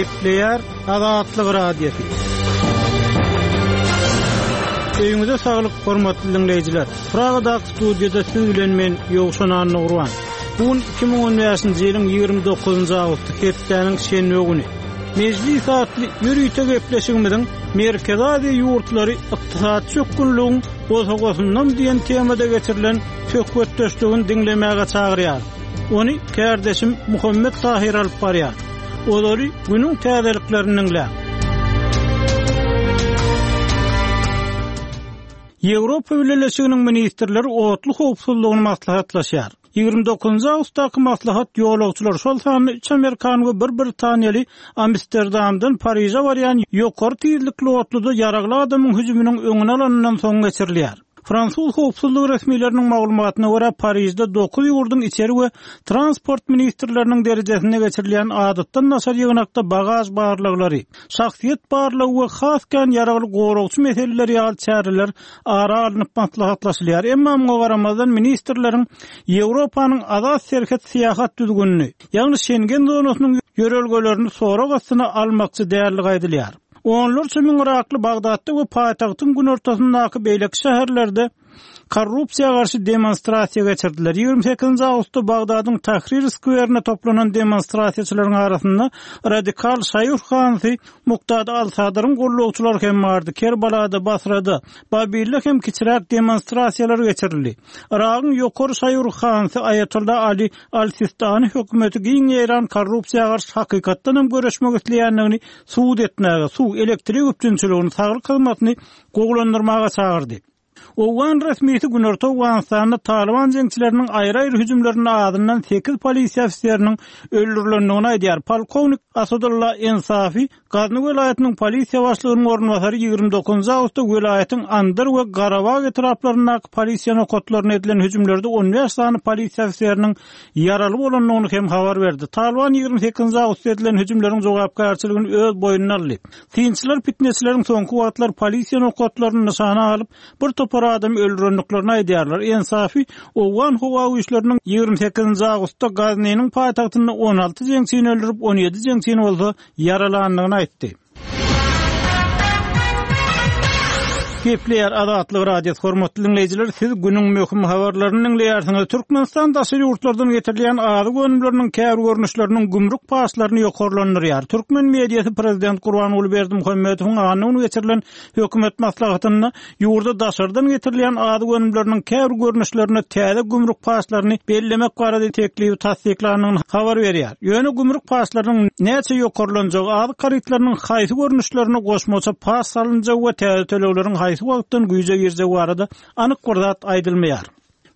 Gepleýär Azatlyk Radiosy. Öýüňize saglyk, hormatly diňleýjiler! Pragadaky studiýada siz bilen men, Ýowşan Annagurban. Bu gün 2015-nji ýylyň 29-njy awgusty, hepdäniň şenbe güni. Mejlis atly ýörite gepleşigimiziň Merkezi Aziýa ýurtlary ykdysady çökgünligiň bosagasyndan diýen temada geçirilen söhbetdeşligini diňlemäge çagyrýarys. Ony kärdeşim Muhammet Tahyr alyp barýar. Ozaly günüň täzeliklerini diňläň. Ýewropa Bileleşiginiň ministrleri otly howpsuzlygyny maslahatlaşýar. 29 awgustdaky maslahat ýolagçylar, şol sanda üç amerikan we bir britaniýaly Amsterdamdan Pariže barýan ýokary tizlikli otluda ýaragly adamyň hüjüminiň öňüni alanyndan soň geçirilýär. Fransuz howpsuzlyk resmileriniň maglumatyna görä, Parižde dokuz ýurduň içeri we transport ministrleriniň derejesinde geçirilýän adatdan daşary ýygnakda bagaž barlaglary, şahsyýet barlagy we has kän ýaragly goragçy meseleleri ýaly çäreler ara alnyp maslahatlaşylýar. Emma muňa garamazdan, ministrleriň Ýewropanyň azat serhet syýahat düzgünini, ýagny Şengen zonasynyň ýörelgelerini sorag astyna almakçy däldigi aýdylýar. Onlarça müň yrakly Bagdatda we paýtagtyň günortasyndaky beýleki şäherlerde korrupsiýa garşy demonstrasiýa geçirdiler. 28-nji awgustda Bagdadyň Tahrir skwerinde toplanan demonstrasiýaçylaryň arasynda radikal şaýy ruhanysy Muktada al-Sadryň gullukçylary hem bardy. Kerbalada, Basrada, Babilde hem kiçiräk demonstrasiýalar geçirildi. Yragyň ýokary şaýy ruhanysy Aýatolla Ali al-Sistani hökümeti giň ýaýran korrupsiýa garşy hakykatdan hem göreşmek isleýändigini subut etmäge, suw, elektrik üpjünçiligini, saglyk hyzmatyny gowulandyrmaga çagyrdy. Owgan resmisi Günorta Owganystanda Talyban jeňçileriniň aýry-aýry hüjümlerinde azyndan sekiz polisiýa ofiseriniň öldürilendigini aýdýar. Polkownik Asadulla Ensafi, Gazny welaýatynyň polisiýa başlygynyň orunbasary 29 awgustda welaýatyň Andar we Garabag etraplaryndaky polisiýa nokatlaryna edilen hüjümlerde 15 sany polisiýa ofiseriniň ýaraly bolandygyny hem habar berdi. Talyban 28 awgustda edilen hüjümleriň jogapkärçiligini öz boýnuna aldy. Synçylar pitneçileriň soňky wagtlar polisiýa nokatlaryny nyşana alyp, bir topar adamy öldürendiklerini aýdýarlar. Ensafi owgan howa güýçleriniň 28-nji awgustda Gaznynyň paýtagtynda 16 jeňçini öldürip, 17 jeňçini bolsa ýaralandygyny aýtdy. Gepleýär Azatlyk Radiosy hormatly diňleýjiler siz günüň möhüm habarlaryny diňleýärsiňiz. Türkmenistan daşary ýurtlardan getirilýän azyk önümleriniň käbir görnüşleriniň gümrük paçlaryny ýokarlandyrýar. Türkmen mediasy prezident Gurbanguly Berdimuhamedowyň anna güni geçirilen hökümet maslahatynda ýurda daşardan getirilýän azyk önümleriniň käbir görnüşlerine täze gümrük paçlaryny bellemek barada teklibi tassyklandygyny habar berýär. Ýöne gümrük paçlarynyň näçe ýokarlanjagy, azyk harytlarynyň haýsy görnüşlerine goşmaça paç salynjagy we täze tölegleriň haýsy wagtdan güýje girjegi barada anyk bir zat aýdylmaýar.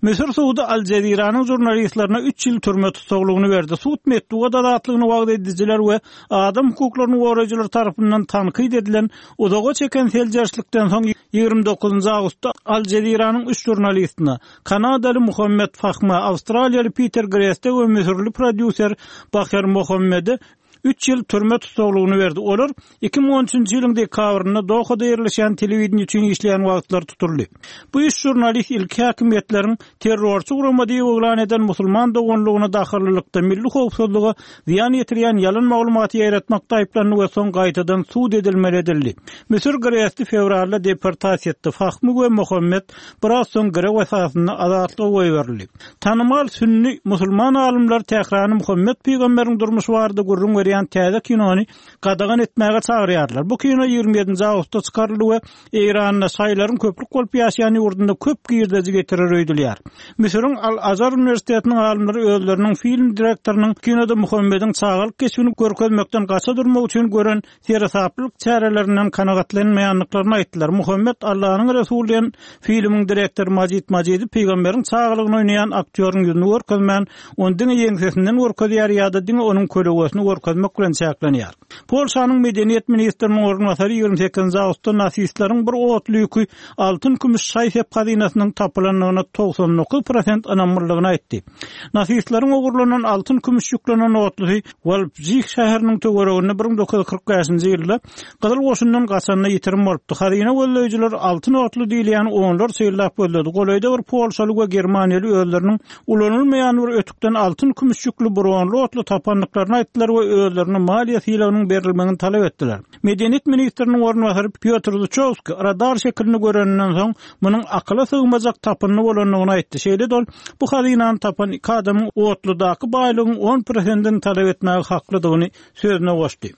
Müsür sudy Al Jeziranyň žurnalistlerine üç ýyl türme tussaglygyny berdi. Sud metbugat azatlygyny wagyz edijiler we adam hukuklaryny goraýjylar tarapyndan tankyt edilen uzaga çeken seljerişlikden soň 29 awgustda Al Jeziranyň üç žurnalistine, kanadaly Muhammed Fahma, awstraliýaly Piter Greste we müsürli prodýuser Baher Mohammede üç ýyl türme tussaglygyny berdi. Olar 2013-nji ýylyň dekabrynda Dohada ýerleşýän telewideniýe üçin işleýän wagtlary tutuldy. Bu üç žurnalist ilki häkimiýetleriň terrorçy gurama diýip yglan eden Musulman doganlygyna dahylylykda milli howpsuzlyga zyýan ýetirýän ýalan maglumaty ýaýratmakda aýyplandy we soň gaýtadan sud edilmeli edildi. Müsür Gresti fewralda deportasiýa etdi. Fahmy we Mohammed biraz soň girew esasynda azatlyga goýberildi. Tanymal sünni musulman alymlary Tährany Muhammet pygamberiň durmuşy barada gürrüň berýän täze kinony gadagan etmäge çagyrýarlar. Bu kino 27-nji awgustda çykaryldy we Eýranda şaýylaryň köplük bolup ýaşaýan ýurdunda köp girdeji getirer öýdülýär. Müsüriň Al-Azhar uniwersitetiniň alymlary özleriniň film direktorynyň kinoda Muhammediň çagalyk keşbini görkezmekden gaça durmak üçin gören seresaplylyk çärelerinden kanagatlanmaýandyklaryny aýtdylar. Muhammet Allanyň resuly diýen filmiň direktory Majid Majidi pygamberiň çagalygyny oýnaýan aktýoryň ýüzüni görkezmän, ony diňe ýeňsesinden görkezýär ýa-da diňe onuň kölegesini görkezmek bilen çäklenýär. Polşanyň medeniýet ministriniň orunbasary 28-nji awgustda nasistleriň bir otly ýüki altyn-kümüş şaý-sep hazynasynyň tapylandygyna 99 prosent ynamlydygyny aýtdy. Nasistleriň ogurlanan altyn-kümüş ýüklenen otlusy Walpjih şäheriniň töwereginde 1945-nji ýylda Gyzyl goşundan gaçanda ýitirim bolupdy. Hazyna gözleýjiler altyn otly diýilýäni onlarça ýyllap gözledi. Golaýda bir polşaly we germaniýaly özleriniň ulanylmaýan bir ötükden altyn-kümüş ýükli bronly otly tapandyklaryny aýtdylar we özleriniň. özlerine maliýe sylagynyň berilmegini talap etdiler. Medeniýet ministriniň orunbasary Pýotr Zuçowskiý radar şekilini göreninden soň, munuň akyla sygmajak tapyndy bolandygyny aýtdy. Şeýle-de ol bu hazynany tapan iki adamyň otludaky baýlygyň on prosentini talap etmäge haklydygyny sözüne goşdy.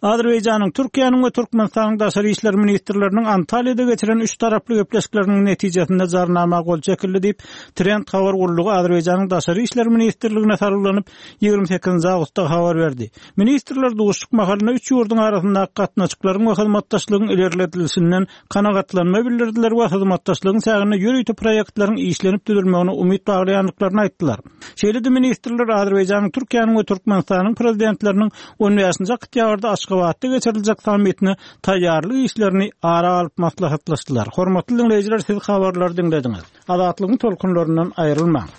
Azerbaýjanyň, Türkiýäniň we Türkmenistanyň daşary işler ministrleriniň Antalýada geçiren üç taraply gepleşikleriniň netijesinde jarnama gol çekildi diýip, Trend habar gullugy Azerbaýjanyň Daşary işler ministrligine salgylanyp, 28 awgustda habar berdi. Ministrler duşuşyk mahalynda üç ýurduň arasyndaky gatnaşyklaryň we hyzmatdaşlygyň ilerledilişinden kanagatlanma bildirdiler we hyzmatdaşlygyň çäginde ýörite proýektleriň işlenip düzülmegine umyt baglaýandyklaryny aýtdylar. Şeýle-de ministrler Azerbaýjanyň, Türkiýäniň we Türkmenistanyň Prezidentleriniň on bäşinji oktýabrda Aşgabatda geçiriljek sammitine taýýarlyk işlerini ara alyp maslahatlaşdylar. Hormatly diňleýjiler, siz habarlary diňlediňiz. Azatlygyň tolkunlaryndan aýrylmaň!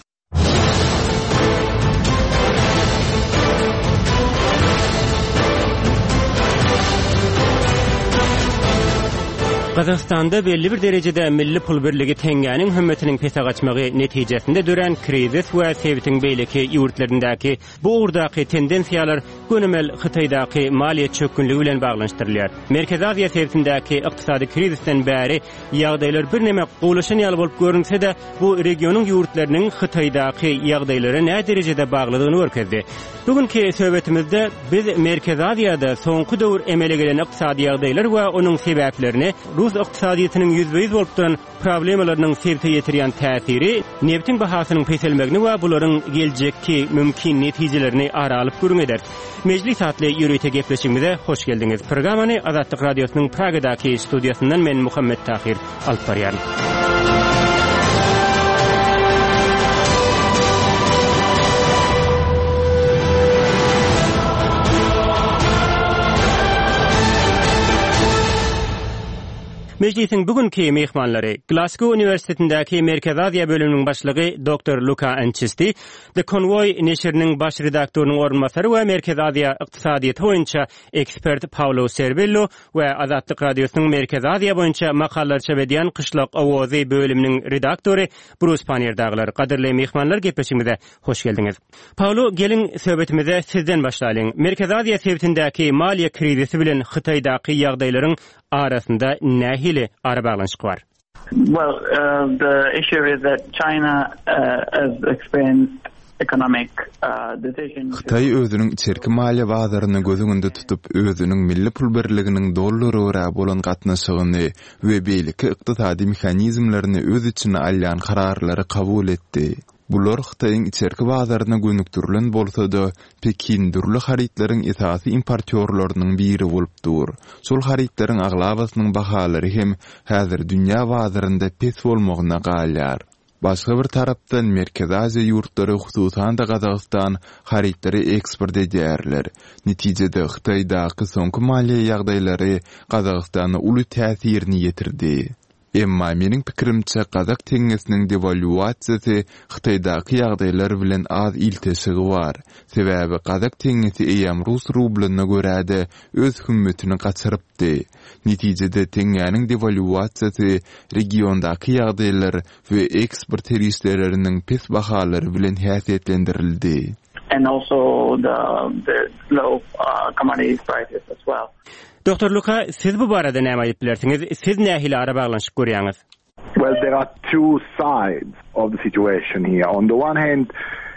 Gazagystanda belli bir derejede milli pul birligi teňňäniň hümmetiniň pese gaçmagy netijesinde dörän krizis we sebitiň beýleki ýurtlaryndaky bu ugurdaky tendensiýalar gönümel Hytaýdaky maliýe çökgünligi bilen baglanyşdyrylýar. Merkezi Aziýa sebitindäki ykdysady krizisden bäri ýagdaýlar birneme gowulaşan ýaly bolup görünse-de, bu regionyň ýurtlarynyň Hytaýdaky ýagdaýlara näderejede baglydygyny görkezdi. Bu günki söhbetimizde biz Merkezi Aziýada soňky döwür emele gelen ykdysady ýagdaýlar we onuň sebäplerini, rus ykdysadyýetiniň ýüzbe-ýüz bolup duran problemalarynyň sebite ýetirýän täsiri, nebitiň bahasynyň peselmegini we bularyň geljekki mümkin netijelerini ara alyp gürrüň ederis. Mejlis atly ýörite gepleşigimize hoş geldiňiz. Programmany Azatlyk Radiosynyň Pragadaky studiýasyndan men Muhammet Tahyr alyp barýaryn. Mejlisiň bu günki myhmanlary, Glasgow uniwersitetindäki Merkezi Aziýa bölüminiň başlygy doktor Luka Ançisti, The Convoy neşiriniň baş redaktorynyň orunbasary we Merkezi Aziýa ykdysadyýeti boýunça ekspert Paulo Serbello we Azatlyk Radiosynyň Merkezi Aziýa boýunça makalalar çap edýän Kyşlak owazy bölüminiň redaktory Brus Pannier dagylar. Gadyrly myhmanlar gepleşigimize hoş geldiňiz. Paulo, geliň söhbetimize sizden başlalyň. Merkezi Aziýa sebitindäki maliýe krizisi bilen Hytaýdaky ýagdaýlaryň arasynda nähili arabaglanyşyk bar? Well, uh, the issue is that China uh, has experienced economic uh, decisions. Hytaý özüniň içerki maliýe bazaryny göz öňünde tutup, özüniň milli pul birliginiň dollara görä bolan gatnaşygyny we beýleki ykdysady mehanizmlerini öz içine alýan kararlary kabul etdi. Bular Hytaýyň içerki bazaryna gönükdirilen bolsa-da, Pekin dürli harytlaryň esasy importýorlarynyň biri bolup dur. Şol harytlaryň aglabasynyň bahalary hem häzir dünýä bazarynda pes bolmagyna galýar. Başga bir tarapdan, Merkezi Aziýa ýurtlary, hususan-da Gazagystan harytlary eksport edýärler. Netijede, Hytaýdaky soňky maliýe ýagdaýlary Gazagystana uly täsirini ýetirdi. Emma meniň pikirimçe gazak teňňesiniň dewalýuasiýasy Hytaýdaky ýagdaýlar bilen az ilteşigi bar. Sebäbi gazak teňňesi eýýäm rus rublyna görä-de öz hümmetini gaçyrypdy. Netijede teňňäniň dewalýuasiýasy regiondaky ýagdaýlar we eksport serişdeleriniň pes bahalary bilen häsiýetlendirildi. And also the the low commodity prices as well. Doktor Luka, siz bu barada näme aýdyp bilersiňiz? Siz nähili arabaglanyşyk görýäňiz? Well, there are two sides of the situation here. On the one hand,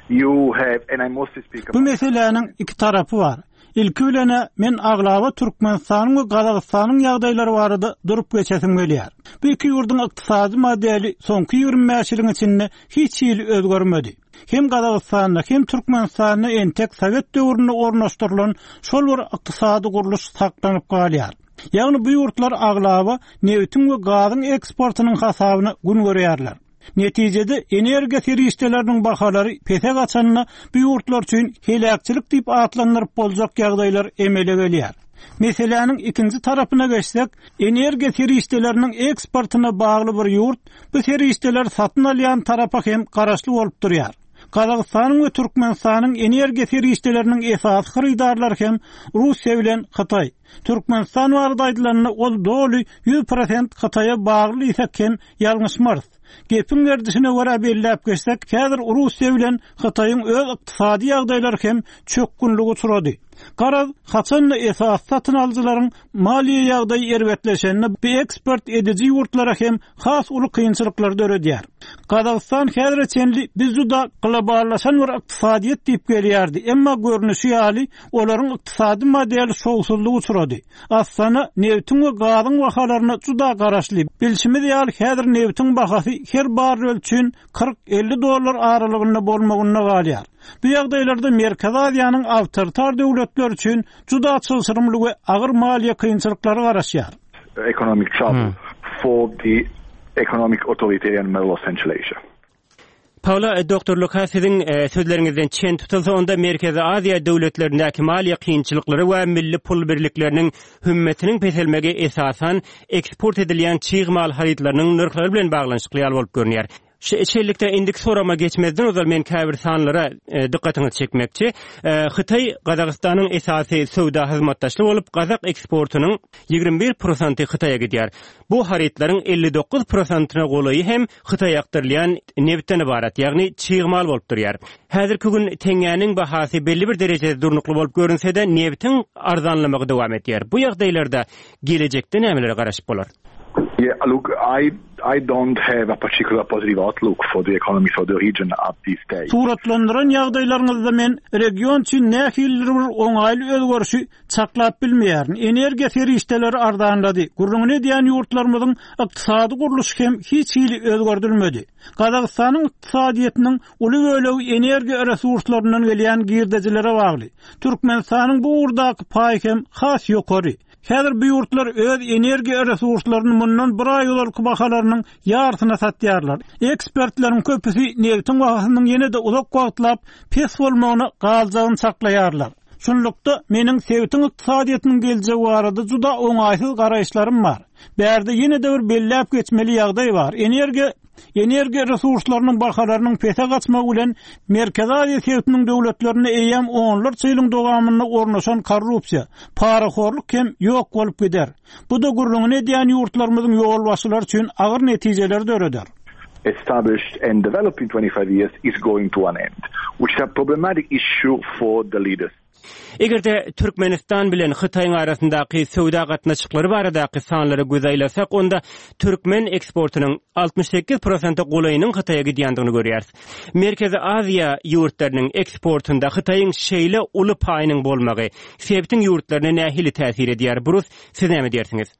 you have, and I mostly speak Bu meseläniň iki tarapy bar. Ilki bilen-ä, men aglaba Türkmenistanyň we Gazagystanyň ýagdaýlary barada durup geçesim gelýär. Bu iki ýurduň ykdysady modeli soňky 25 ýylyň içinde hiç hili özgermedi. Hem Gazagystanda, hem Türkmenistanda entek sowet döwründe ornaşdyrylan şol bir ykdysady gurluş saklanyp galýar. Ýagny bu ýurtlar aglaba nebitiň we gazyň eksportynyň hasabyna gün görýärler. Netijede energiýa serişdeleriniň bahalary pese gaçanda bu ýurtlar üçin heläkçilik diýip atlandyryp boljak ýagdaýlar emele gelýär. Meseläniň ikinji tarapyna geçsek, energiýa serişdeleriniň eksportyna bagly bir ýurt bu serişdeleri satyn alýan tarapa hem garaşly bolup durýar. Gazagystanyň we Türkmenistanyň energiýa serişdeleriniň esasy hyrydarlary hem Russiýa bilen Hytaý. Türkmenistan barada aýdylanda, ol doly 100% Hytaýa bagly diýsek hem ýalňyşmarys. Gepiň gerdişine görä belläp geçsek, häzir Russiýa bilen Hytaýyň öz ykdysady ýagdaýlary hem çökgünlige uçrady. Garaz, haçan-da esasy satyn alyjylaryň maliýe ýagdaýy erbetleşende bu eksport ediji ýurtlara hem has uly kynçylyklary döredýär. Gazagystan häzire çenli biz juda globallaşan bir ykdysadyýet diýip gelýärdi, emma görnüşi ýaly, olaryň ykdysady modeli şowsuzlyga uçrady. Astana nebitiň we gazyň bahalaryna juda garaşly. Bilşimiz ýaly, häzir nebitiň bahasy her barrel üçin 40-50 dollar aralygynda bolmagynda galýar. Bu ýagdaýlarda Merkezi Aziýanyň awtoritar döwletleri üçin juda çylşyrymly we agyr maliýe kynçylyklary garaşýar. Economic trouble for the economic authoritarian model of Central Asia. Paula, doktor Luka siziň sözleriňizden çen tutulsa, onda Merkezi Aziýa döwletlerindäki maliýe kynçylyklary we milli pul birlikleriniň hümmetiniň peselmegi esasan eksport edilýän çig mal harytlarynyň nyrhlary bilen baglanyşykly ýaly bolup görünýär. Şeýlelikde, indiki soragyma geçmezden ozal men käbir sanlara dykgatyňyzy çekmekçi. Hytaý Gazagystanyň esasy söwda hyzmatdaşly bolup, gazak eksportynyň 21 prosenty Hytaýa gidýär. Bu harytlaryň 59 prosentyna golaýy hem Hytaýa akdyrylýan nebitden ybarat, ýagny çig mal bolup durýar. Häzirki gün teňňäniň bahasy belli bir derejede durnukly bolup görünse-de, nebitiň arzanlamagy dowam edýär. Bu ýagdaýlarda gelejekde nämelere garaşyp bolar? Yeah, look, I I don't have a particular positive outlook for the economies of the region at this stage. Suratlandyran ýagdaýlaryňyzda men region üçin nähilidir bir oňaýly özgerişi çaklap bilmeýärin. Energiýa serişdeleri arzanlady. Gürrüňini edýän ýurtlarymyzyň ykdysady gurluşy hem hiç hili özgerdilmedi. Gazagystanyň ykdysadyýetiniň uly bölegi energiýa resurslaryndan gelýän girdejilere bagly. Türkmenistanyň bu ugurdaky paýy hem has ýokary. Häzir bu ýurtlar öz energiýa resurslaryny mundan bir aý ozalky bahalarynyň ýarysyna satýarlar. Ekspertleriň köpüsi nebitiň bahasynyň ýene-de uzak wagtlap pes bolmagyna galjagyny çaklaýarlar. Şunlukda, meniň sebitiň ykdysadyýetiniň geljegi barada juda oňaýsyz garaýyşlarym bar. Bärde ýene-de bir belläp geçmeli ýagdaý bar, energiýa energiýa resurslarynyň bahalarynyň pese gaçmagy bilen Merkezi Aziýa sebitiniň döwletlerinde eýýäm onlarça ýylyň dowamynda ornaşan korrupsiýa, parahorluk hem ýok bolup gider. Bu-da gürrüňini edýän ýurtlarymyzyň ýolbaşçylary üçin agyr netijeleri döreder. established and developed in 25 years is going to an end, which is a problematic issue for the leaders. Eger-de Türkmenistan bilen Hytaýyň arasyndaky söwda gatnaşyklary baradaky sanlara göz aýlasak, onda türkmen eksportynyň 68 prosente golaýynyň Hytaýa gidýändigini görýäris. Merkezi Aziýa ýurtlarynyň eksportynda Hytaýyň şeýle uly paýynyň bolmagy sebitiň ýurtlaryna nähili täsir edýär? Brus, siz näme diýersiňiz?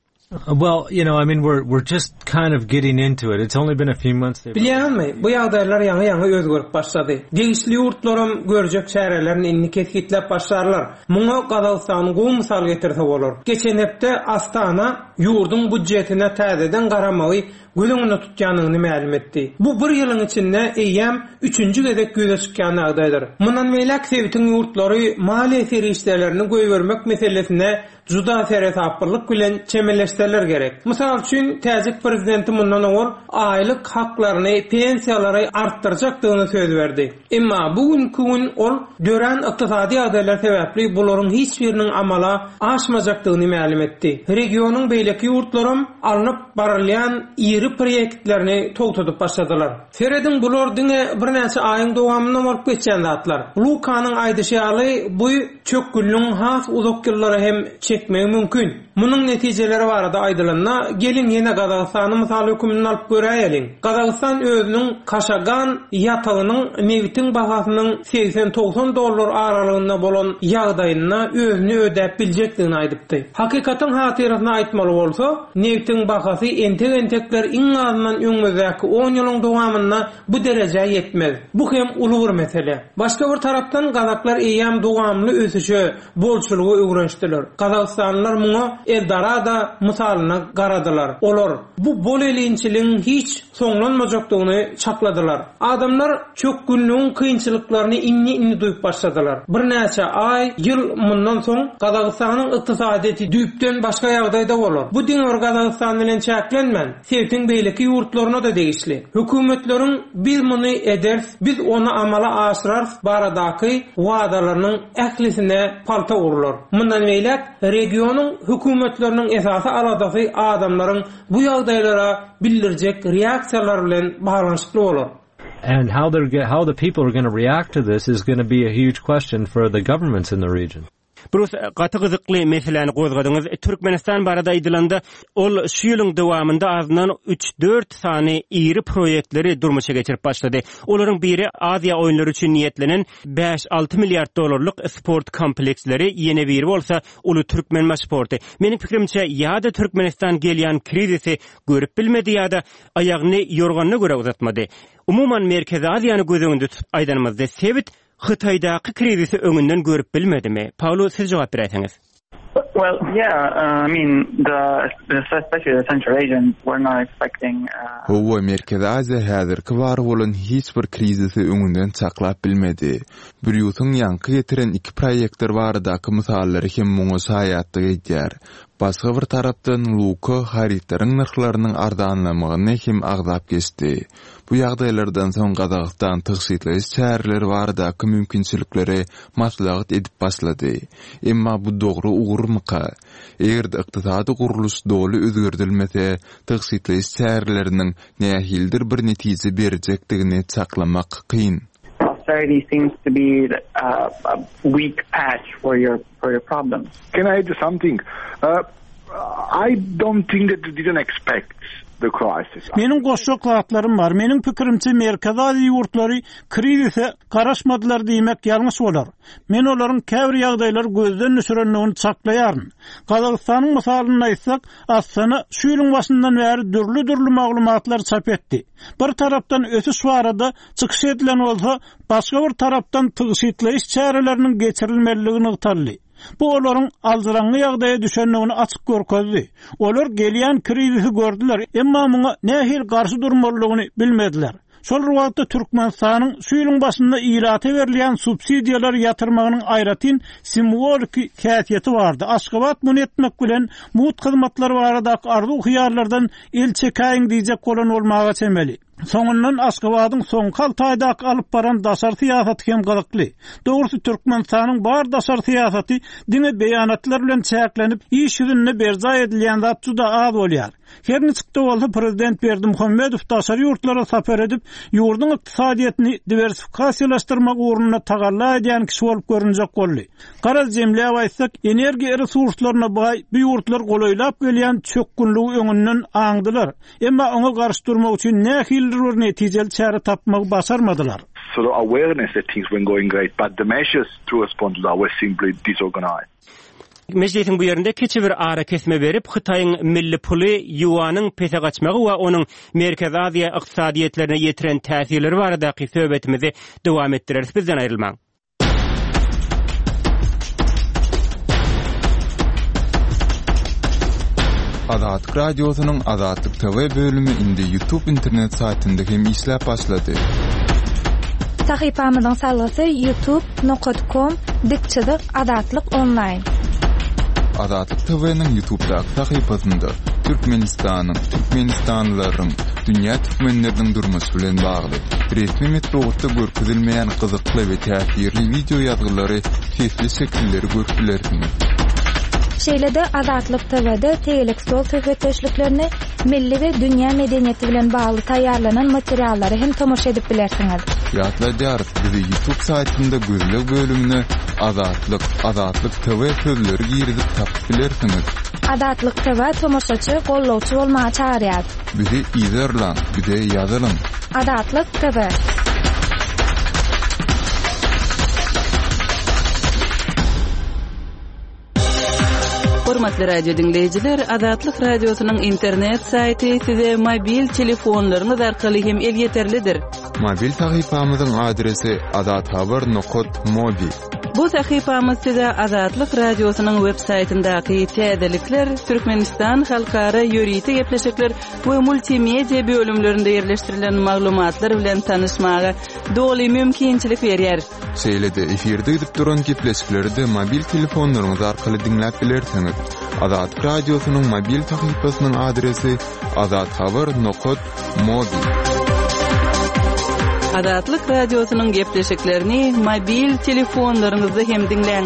Well, you know, I mean, we're we're just kind of getting into it. It's only been a few months. Bilýäňizmi, bu ýagdaýlar ýaňy-ýaňy özgerip başlady. Degişli ýurtlaram görjek çärelerini indi kesgitläp başlarlar. Muňa Gazagystany gowy mysal getirse bolar. Geçen hepde Astana ýurduň býudjetine täzeden garamagy göz öňünde tutýandygyny mälim etdi. Bu bir ýylyň içinde eýýäm üçünji gezek ýüze çykýan ýagdaýdyr. Mundan beýläk sebitiň ýurtlary maliýe serişdelerini goýbermek meselesine juda seresaplylyk bilen çemeleşseler gerek. Mysal üçin, täjik prezidenti mundan owal aýlyk haklaryny, pensiýalary artdyrjakdygyny söz berdi. Emma bu günki gün ol dörän ykdysady ýagdaýlar sebäpli bularyň hiç biriniň amala aşmajakdygyny mälim etdi. Regionyň beýleki ýurtlaram alnyp barylýan iri proýektlerini togtadyp başladylar. Serediň, bular diňe birnäçe aýyň dowamynda bolup geçýän zatlar. Lukanyň aýdyşy ýaly, bu çökgünligiň has uzak ýyllara hem çekmegi mümkin. Munuň netijeleri barada aýdylanda, geliň ýene Gazagystany mysal höküminde alyp göräýeliň. Gazagystan özüniň Kaşagan ýatagynyň nebitiň bahasynyň segsen-togsan dollar aralygynda bolan ýagdaýynda özüni ödäp biljekdigini aýdypdy. Hakykatyň hatyrasyna aýtmaly bolsa, nebitiň bahasy entek-entekler iň azyndan öňümizdäki on ýylyň dowamynda bu derejä ýetmez. Bu hem uly bir mesele. Başga bir tarapdan gazaklar eýýäm dowamly ösüşe, bolçulyga öwrenişdiler. Gazagystanlylar muňa Eldorado mysalynda garadylar. Olar bu bol-elinçiligiň hiç soňlanmajakdygyny çakladylar. Adamlar çökgünligiň kynçylyklaryny indi-indi duýup başladylar. Birnäçe aý, ýyl mundan soň Gazagystanyň ykdysadyýeti düýpden başga ýagdaýda bolar. Bu diňe bir Gazagystan bilen çäklenmän, sebitiň beýleki ýurtlaryna-da degişli. Hökümetleriň biz muny ederis, biz ony amala aşyrarys baradaky wadalarynyň ählisine palta urlar. Mundan beýläk regionyň hökümetleriniň esasy aladasy adamlaryň bu ýagdaýlara bildirjek reaksiýalary bilen baglanyşykly bolar. And how they're how the people are going to react to this is going to be a huge question for the governments in the region. Brus, gaty gyzykly meseläni gozgadyňyz. Türkmenistan barada aýdylanda, ol şu ýylyň dowamynda azyndan üç-dört sany iri proýektleri durmuşa geçirip başlady. Olaryň biri Aziýa oýunlary üçin niýetlenen bäş-alty milliard dollarlyk sport kompleksleri, ýene biri bolsa uly Türkmenbaşy porty. Meniň pikirimçe, ýa-da Türkmenistan gelýän krizisi görüp bilmedi ýa-da aýagyny ýorganyna görä uzatmady. Umuman, Merkezi Aziýany göz öňünde tutup aýdanymyzda, sebit Hytaýdaky krizisi öňünden görüp bilmedimi? Paolo, siz jogap beräýseňiz. Well, yeah, I mean, the, especially the Central Asians were not expecting... Uh, Hawa, Merkezi Aziýa häzirki bar bolan hiç bir krizisi öňünden çaklap bilmedi. Brýusyň ýaňky getiren iki proýektor baradaky mysallary hem muňa şaýatlyk edýär. Başga bir tarapdan, Luka harytlaryň nyrhlarynyň arzanlamagyny hem agzap geçdi. Bu ýagdaýlardan soň Gazagystan tygşytlaýyş çäreleri baradaky mümkinçilikleri maslahat edip başlady. Emma bu dogry ugurmyka? Eger-de ykdysady gurluş doly özgerdilmese, tygşytlaýyş çäreleriniň nähilidir bir netije berjekdigini çaklamak kyn. Austerity seems to be a weak patch for your for your problems. Can I add something? Uh, I don't think that they didn't expect the crisis. Meniň goşjak zatlarym bar. Meniň pikirimçe, Merkezi Aziýa ýurtlary krizise garaşmadylar diýmek ýalňyş bolar. Men olaryň käbir ýagdaýlary gözden düşürendigini çaklaýaryn. Gazagystanyň mysalynda aýtsak, Astana şu ýylyň başyndan bäri dürli-dürli maglumatlary çap etdi. Bir tarapdan ösüş barada çykyş edilen bolsa, başga bir tarapdan tygşytlaýyş çäreleriniň geçirilmelidigi nygtaldy. Bu olaryň aljyraňňy ýagdaýa düşendigini açyk görkezdi. Olar gelýän krizisi gördüler, emma muňa nähili garşy durmalydygyny bilmediler. Şol bir wagtda Türkmenistanyň şu ýylyň başynda ilata berilýän subsidiýalary ýatyrmagynyň aýratyn simwoliki häsiýeti bardy. Aşgabat muny etmek bilen mugt hyzmatlar baradaky arzuw-hyýallardan el çekäýiň diýjek bolan bolmaga çemeli. Soňundan Aşgabadyň soňky alty aýdaky alyp baran daşary syýasaty hem gyzykly. Dogrusy Türkmenistanyň bar daşary syýasaty diňe beýanatlar bilen çäklenip, iş ýüzünde berjaý edilýän zat juda az bolýar. Her niçik-de bolsa prezident Berdimuhamedow daşary ýurtlara sapar edip, ýurduň ykdysadyýetini diwersifikasiýalaşdyrmak ugrunda tagalla edýän kişi bolup görünjek boldy. Garaz jemläp aýtsak, energiýa resurslaryna baý bu ýurtlar golaýlap gelýän çökgünligi öňünden aňdylar. Emma oňa garşy durmak üçin nähilidir bir netijeli çäre tapmagy başarmadylar. Sort of awareness that things weren't going great, but the measures to respond to that were simply disorganized. Mejlisiň bu ýerinde kiçi bir arakesme berip, Hytaýyň milli puly ýuanyň pese gaçmagy we onuň Merkezi Aziýa ykdysadyýetlerine ýetiren täsirleri baradaky söhbetimizi dowam etdireris. Bizden aýrylmaň. Azatlyk Radiosynyň Azatlyk TV bölümi indi YouTube internet saýtynda hem işläp başlady. Sahypamyzyň salgysy youtube nokat kom dik çyzyk Azatlyk onlaýn. Azatlyk TV-niň YouTube'daky sahypasynda Türkmenistanyň, türkmenistanlylaryň, dünýä türkmenleriniň durmuşy bilen bagly, resmi metbugatda görkezilmeýän gyzykly we täsirli wideo ýazgylary, sesli şekilleri görüp bilersiňiz. Şeýle-de Azatlyk TW-de tegelek stol söhbetdeşliklerini, milli we dünýä medeniýeti bilen bagly taýýarlanan materiallara hem tomaşa edip bilersiňiz. Ýatladýarys, bizi YouTube saýtynda gözleg bölümine Azatlyk, Azatlyk TV sözleri girizip tapyp bilersiňiz. Azatlyk TV tomaşaçy, gollawçy bolmaga çagyrýar. Bizi yzarlaň, bize ýazylyň. Azatlyk TV. Hormatly radio diňleýjiler, Azatlyk Radiosynyň internet saýty size mobil telefonlaryňyz arkaly hem elýeterlidir. Mobil sahypamyzyň adresi azathabar nokat mobi. Bu sahypamyz size Azatlyk Radiosynyň web saýtyndaky täzelikler, Türkmenistan halkara ýörite gepleşikler we multimedia bölümlerinde ýerleşdirilen maglumatlar bilen tanyşmaga doly mümkinçilik berýär. Şeýle-de efirde gidip duran gepleşikleri-de mobil telefonlaryňyz arkaly diňläp bilersiňiz. Azatlyk Radiosynyň mobil sahypasynyň adresi azathabar nokat mobi. Azatlyk Radiosynyň gepleşiklerini mobil telefonlaryňyzda hem diňläň.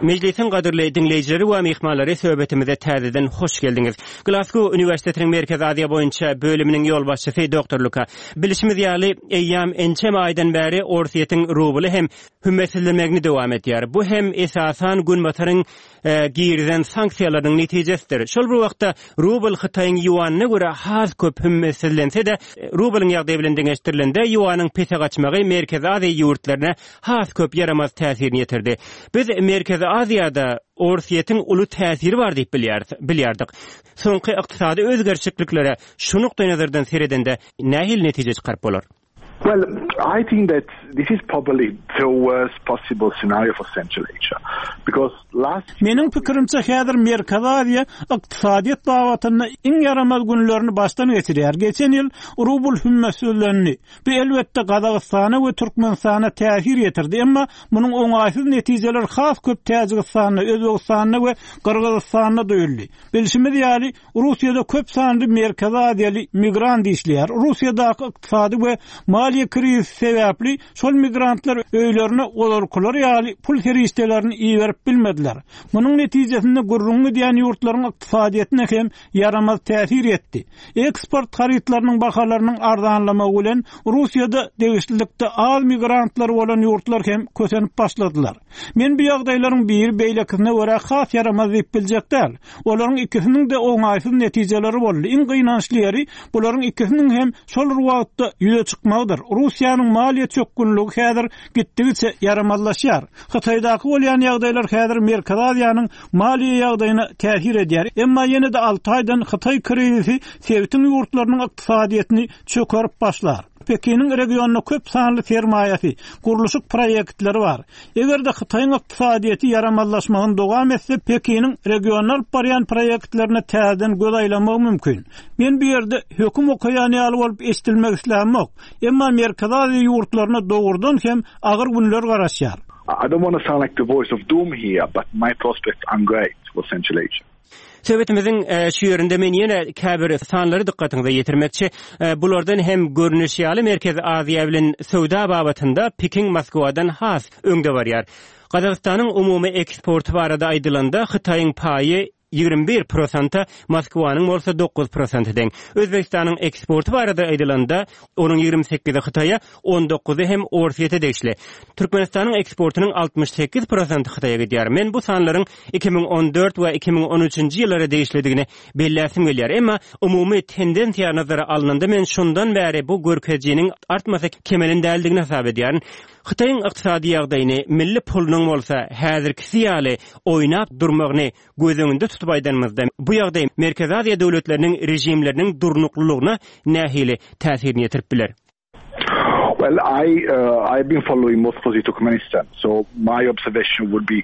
Mejlisiň gadyrly diňleýjileri we myhmanlary söhbetimize täzeden hoş geldiňiz. Glasgow uniwersitetiniň Merkezi Aziýa boýunça bölüminiň ýolbaşçysy doktor Luka. Bilşimiz ýaly, eýýäm ençeme aýdan bäri Orsýetiň rubly hem hümmetsizlenmegini dowam edýär. Bu hem esasan Günbataryň girizen sanksiýalarynyň netijesidir. Şol bir wagtda rubl Hytaýyň ýuanyna görä has köp hümmetsizlense-de, rublyň ýagdaýy bilen deňeşdirilende ýuanyň pese gaçmagy Merkezi Aziýa ýurtlaryna has köp ýaramaz täsirini ýetirdi. Biz Merkezi Aziýada Orsýetiň uly täsiri bar diýip bilýäris, bilýärdik. Soňky ykdysady özgerişikliklere şu nukdaýnazardan seredende nähili netije çykaryp bolar? Well, I think that this is probably the worst possible scenario for Central Asia because last Meniň pikirimçe häzir Merkezi Aziýa ykdysadyýet babatynda iň ýaramaz günlerini başdan geçirýär. Geçen ýyl rubl hümmetsizlendi. Bu elbetde Gazagystana we Türkmenistana täsir ýetirdi, emma munuň oňaýsyz netijeleri has köp Täjigistanda, Özbegistanda we Gyrgyzystanda duýuldy. Bilşimiz ýaly, Russiýada köp sanly Merkezi Aziýaly migrant işleýär. Russiýadaky ykdysady we maliýe krizisi sebäpli şol migrantlar öýlerine ozalkylary ýaly pul serişdelerini iberip bilmediler. Munuň netijesinde gürrüňi gidýän ýurtlaryň ykdysadyýetine hem ýaramaz täsir ýetdi. Eksport harytlarynyň bahalarynyň arzanlamagy bilen Russiýada degişlilikde az migrantlary bolan ýurtlar hem kösenip başladylar. Men bu ýagdaýlaryň biri beýlekisine görä has ýaramaz diýip biljek däl. Olaryň ikisiniň-de oňaýsyz netijeleri boldy. Iň gynançly ýeri, bularyň ikisiniň hem şol bir wagtda ýüze çykmagydyr. Russiýanyň maliýe çökgünligi häzir gitdigiçe ýaramazlaşýar. Hytaýdaky bolýan ýagdaýlar häzir Merkezi Aziýanyň maliýe ýagdaýyna täsir edýär. Emma ýene-de alty aýdan Hytaý krizisi sebitiň ýurtlarynyň ykdysadyýetini çökerip başlar. Pekiniň regionda köp sanly sermaýasy, gurluşyk proýektleri bar. Eger-de Hytaýyň ykdysadyýeti ýaramazlaşmagyny dowam etse, Pekiniň regionda alyp barýan proýektlerine täzeden göz aýlamagy mümkin. Men bu ýerde höküm okaýan ýaly bolup eşidilmek islämok. Emma Merkezi Aziýa ýurtlaryna dogrudan hem agyr günler garaşýar. I don't wanna sound like the voice of doom here, but my prospects aren't great for Central Asia. Söhbetimiziň şu ýerinde men ýene käbir sanlary dykgatyňyza ýetirmekçi. Bulardan hem görnüşi ýaly, Merkezi Aziýa bilen söwda babatynda Pekin Moskwadan has öňde barýar. Gazagystanyň umumy eksporty barada aýdylanda, Hytaýyň paýy 21 prosenta, Moskwanyň bolsa 9 prosente deň. Özbegistanyň eksporty barada aýdylanda, onuň 28-i Hytaýa, 19-y hem Orsýete degişli. Türkmenistanyň eksportynyň 68 prosenti Hytaýa gidýär. Men bu sanlaryň 2014 we 2013-nji ýyllara degişlidigini belläsim gelýär. Emma umumy tendensiýa nazara alnanda men şondan bäri bu görkezijiniň artmasa kemelen däldigini hasap edýärin. Hytaýyň ykdysady ýagdaýyny, milli pulunyň bolsa häzirkisi ýaly oýnap durmagyny göz öňünde tutup aýdanymyzda, bu ýagdaý Merkezi Aziýa döwletleriniň režimleriniň durnuklylygyna nähili täsirini ýetirip biler? Well, I uh, I've been following most closely Turkmenistan, so my observation would be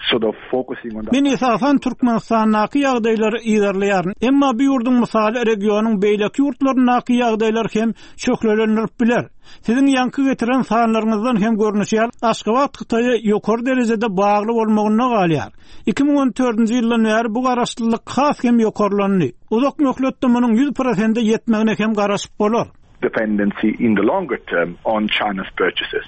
sort of focusing on that. Men esasan Türkmenistandaky ýagdaýlary yzarlaýaryn. Emma bu ýurduň mysaly regionyň beýleki ýurtlaryndaky ýagdaýlary hem şöhlelendirip biler. Siziň ýaňky getiren sanlaryňyzdan hem görnüşi ýaly, Aşgabat Hytaýa ýokary derejede bagly bolmagynda galýar. 2014-nji ýyldan bäri bu garaşlylyk has hem ýokarlandy. Uzak möhletde munuň 100 prosente ýetmegine hem garaşyp bolar. dependency in the longer term on China's purchases.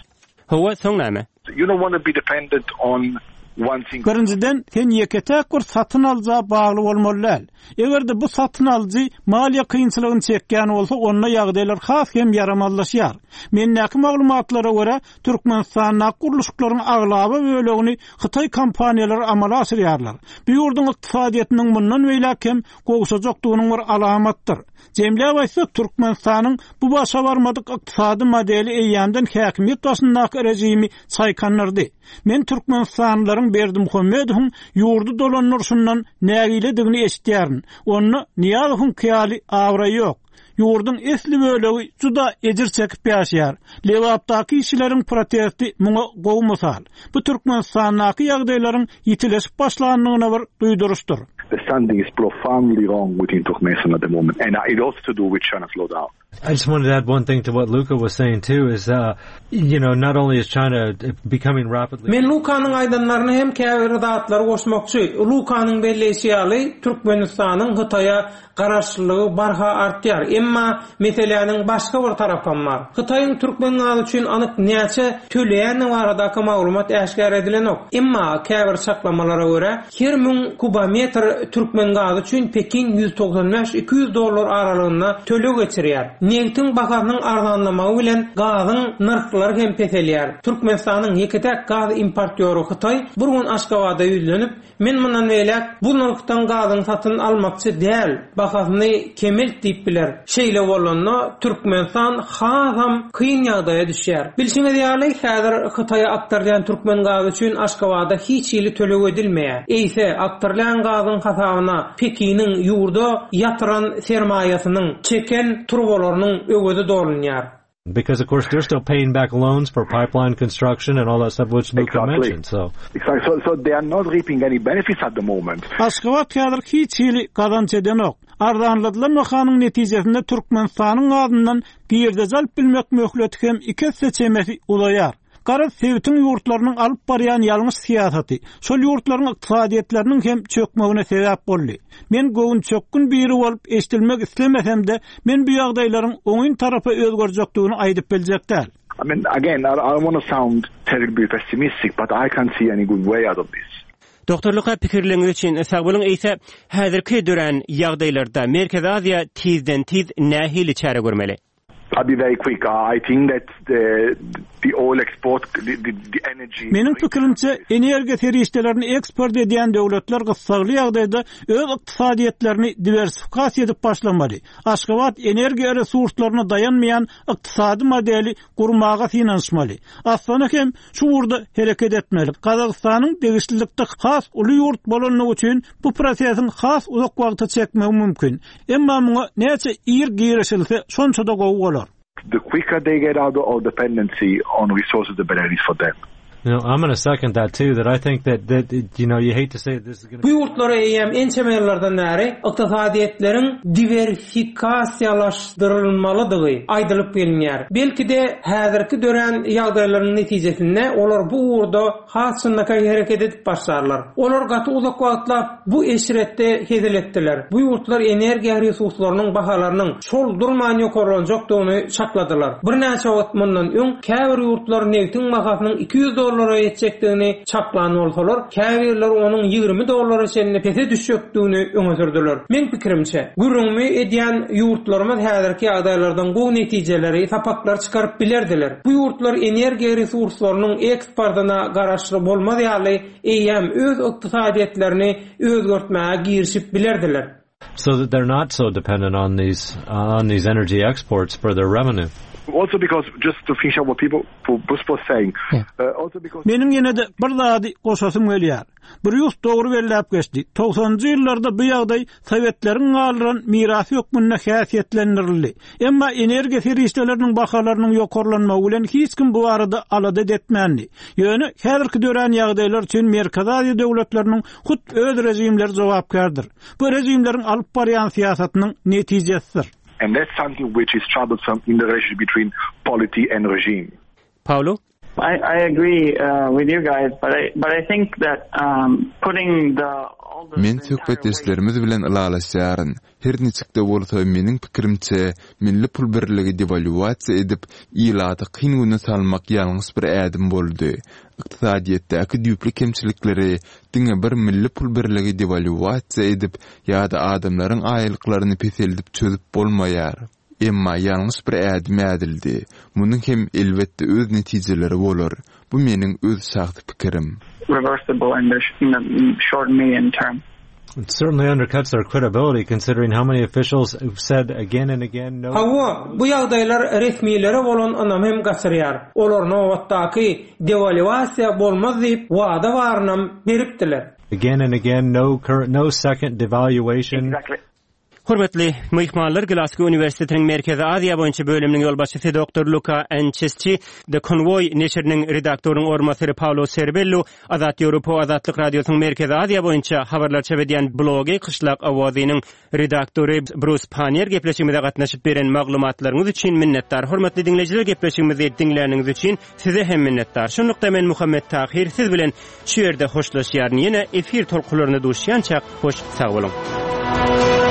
Hawa, soň näme? You don't want to be dependent on one single Birinjiden, sen ýeke-täk bir satyn alyja bagly bolmaly däl. Eger-de bu satyn alyjy maliýe kynçylygyny çekýän bolsa, onda ýagdaýlar has hem ýaramazlaşýar. Mendäki maglumatlara görä, Türkmenistandaky gurluşyklaryň aglaba bölegini hytaý kompaniýalary amala aşyrýarlar. Bu ýurduň ykdysadyýetiniň mundan beýläk hem gowşajakdygynyň bir alamatdyr. Jemläp aýtsak, Türkmenistanyň bu başa barmadyk ykdysady modeli eýýämden häkimiýet başyndaky režimi çaýkandyrdy. Men türkmenistanlylaryň Berdimuhamedowyň ýurdy dolandyryşyndan nägiledigini eşidýärin. Onda Nyýazowyňky ýaly abraý ýok. Ýurduň esli bölegi juda ejir çekip ýaşaýar. Lebapdaky işçileriň protesti muňa gowy mysal. Bu Türkmenistandaky ýagdaýlaryň ýitileşip başlandygyna bir duýduryşdyr. Something is profoundly wrong within Turkmenistan at the moment and it also to do with China slowdown. I just wanted to add one thing to what Luca was saying too is, uh, you know, not only is China becoming rapidly... Men Lukanyň aýdanlaryna hem käbir zatlary goşmakçy. Lukanyň belleýşi ýaly, Türkmenistanyň Hytaýa garaşlylygy barha artýar. Emma meseläniň başga bir tarapam bar. Hytaýyň türkmen gazy üçin anyk näçe töleýändigi baradaky maglumat äşgär edilenok. Emma käbir çaklamalara görä, Her müň kubometr türkmen gazy üçin Pekin 195, 200 dollar aralygynda töleg geçirýär. Nebtiň bahasynyň arzanlamagy bilen gazyň nyrhlary hem peselýär. Türkmenistanyň ýeke-täk gaz importýory Hytaý bir gün Aşgabada ýüzlenip, Men mundan beýläk bu nyrhdan gazyňy satyn almakçy däl, bahasyny kemelt diýip biler. Şeýle bolanda, Türkmenistan hasam kyn ýagdaýa düşýär. Bilşiňiz ýaly, häzir Hytaýa akdyrylýan türkmen gazy üçin Aşgabada hiç hili töleg edilmeýär. Eýse, akdyrylýan gazyň hasabyna Pekiniň ýurda ýatyran sermaýasynyň, çeken turbalarynyň öwezi dolunýar. Because of course they're still paying back loans for pipeline construction and all that stuff which Luca exactly. mentioned. So exactly. So, so they are not reaping any benefits at the moment. Aşgabat häzir hiç hili gazanç edenok. Arzanladylan bahanyň netijesinde Türkmenistanyň gazyndan girdeji alyp bilmek möhleti hem iki esse çemesi uzaýar. Garaz, sebitiň ýurtlarynyň alyp barýan ýalňyş syýasaty, şol ýurtlaryň ykdysadyýetleriniň hem çökmegine sebäp boldy. Men göwünçökgün biri bolup eşidilmek islemesem-de, men bu ýagdaýlaryň oňyn tarapa özgerjekdigini aýdyp biljek däl. I mean, again, I don't want to sound terribly pessimistic, but I can't see any good way out of this. Doktor Luka pikirleriňiz üçin sag boluň. Eýse, häzirki dörän ýagdaýlarda Merkezi Aziýa tizden-tiz nähili çäre görmeli? I'll be very quick. I think that the the oil export the the, the energy Meniň pikirimçe, energiýa serişdelerini eksport edýän döwletler gyssagly ýagdaýda öz ykdysadyýetlerini diwersifikasiýa edip başlamaly. Aşgabat energiýa resurslaryna daýanmaýan ykdysady modeli gurmaga synanyşmaly. Astana hem şu ugurda hereket etmeli. Gazagystanyň degişlilikde has uly ýurt bolandygy üçin bu prosesiň has uzak wagta çekmegi mümkin. Emma muňa näçe ir girişilse, şonça-da gowy bolar. The quicker they get out of dependency on resources the better it is for them. You know, I'm gonna second that too, that I think that, that, you know, you hate to say this is gonna Bu ýurtlara eýýäm ençeme ýyllardan bäri ykdysadyýetleriň diwersifikasiýalaşdyrylmalydygy aýdylyp gelinýär. Belki-de, häzirki dörän ýagdaýlaryň netijesinde olar bu ugurda has çynlakaý hereket edip başlarlar. Olar gaty uzak wagtlap bu eşretde hezil etdiler. Bu ýurtlar energiýa resurslarynyň bahalarynyň şol durman ýokarlanjakdygyny çakladylar. Birnäçe wagt mundan öň käbir ýurtlar nebtiň bahasynyň 200 dollara ýetjekdigini çaklan bolsalar, käbirleri onuň 20 dollara çenli pese düşjekdigini öňe sürdüler. Meň pikirimçe, gürrüňimi edýän ýurtlarymyz häzirki ýagdaýlardan gowy netijeleri, sapaklary çykaryp bilerdiler. Bu ýurtlar energiýa resurslarynyň eksportyna garaşly bolmaz ýaly eýýäm öz ykdysadyýetlerini özgertmäge girişip bilerdiler. So that they're not so dependent on these on these energy exports for their revenue. Also because just to finish up what people Bruce was saying. Uh, also because Meniň ýene-de bir zady goşasym gelýär. Brýus dogry belläp geçdi. Togsanynjy ýyllarda bu ýagdaý sowetleriň galdyran mirasy hökmünde häsiýetlendirildi. Emma energiýa serişdeleriniň bahalarynyň ýokarlanmagy bilen hiç kim bu barada alada etmändi. Ýöne häzirki dörän ýagdaýlar üçin Merkezi Aziýa döwletleriniň hut öz režimleri jogapkärdir. Bu režimleriň alyp barýan syýasatynyň netijesidir. And that's something which is troublesome in the relationship between polity and regime. Paolo? I, I agree uh, with you guys, but I, but I think that um, putting the Men söhbetdeşlerimiz bilen ylalaşýaryn. Her niçik-de bolsa, meniň pikirimçe, milli pul birligi dewalýuasiýa edip, ilaty kyn güne salmak ýalňyş bir ädim boldy. Ykdysadyýetdäki düýpli kemçilikleri diňe bir milli pul birligi dewalýuasiýa edip ýa-da adamlaryň aýlyklaryny peseldip çözüp bolmaýar. Emma ýalňyş bir ädim ädildi. Munuň hem, elbetde, öz netijeleri bolar. Bu meniň öz şahsy pikirim. Reversible in the in the short medium term. It certainly undercuts their credibility considering how many officials have said again and again no. Hawa, bu ýagdaýlar resmilere bolan ynamy hem gaçyrýar. Olar nobatdaky dewalýuasiýa bolmaz diýip, wada barynam beripdiler. Again and again no no second devaluation. Exactly. Hormatly myhmanlar, Glasgow uniwersitetiniň Merkezi Aziýa boýunça bölüminiň ýolbaşçysy doktor Luka Ançesçi, The Convoy neşiriniň redaktorynyň orunbasary Paolo Serbellu, Azat Ýewropa Azatlyk Radiosynyň Merkezi Aziýa boýunça habarlar çap edýän blogy Kyşlak owazynyň redaktory Brus Pannier gepleşigimize gatnaşyp beren maglumatlaryňyz üçin minnetdar. Hormatly diňleýjiler gepleşigimizi diňläniňiz üçin size hem minnetdar. Şunlukda men Muhammet Tahyr siz bilen şu ýerde hoşlaşýaryn. Ýene efir tolkunlarynda duşýançak hoş sag boluň.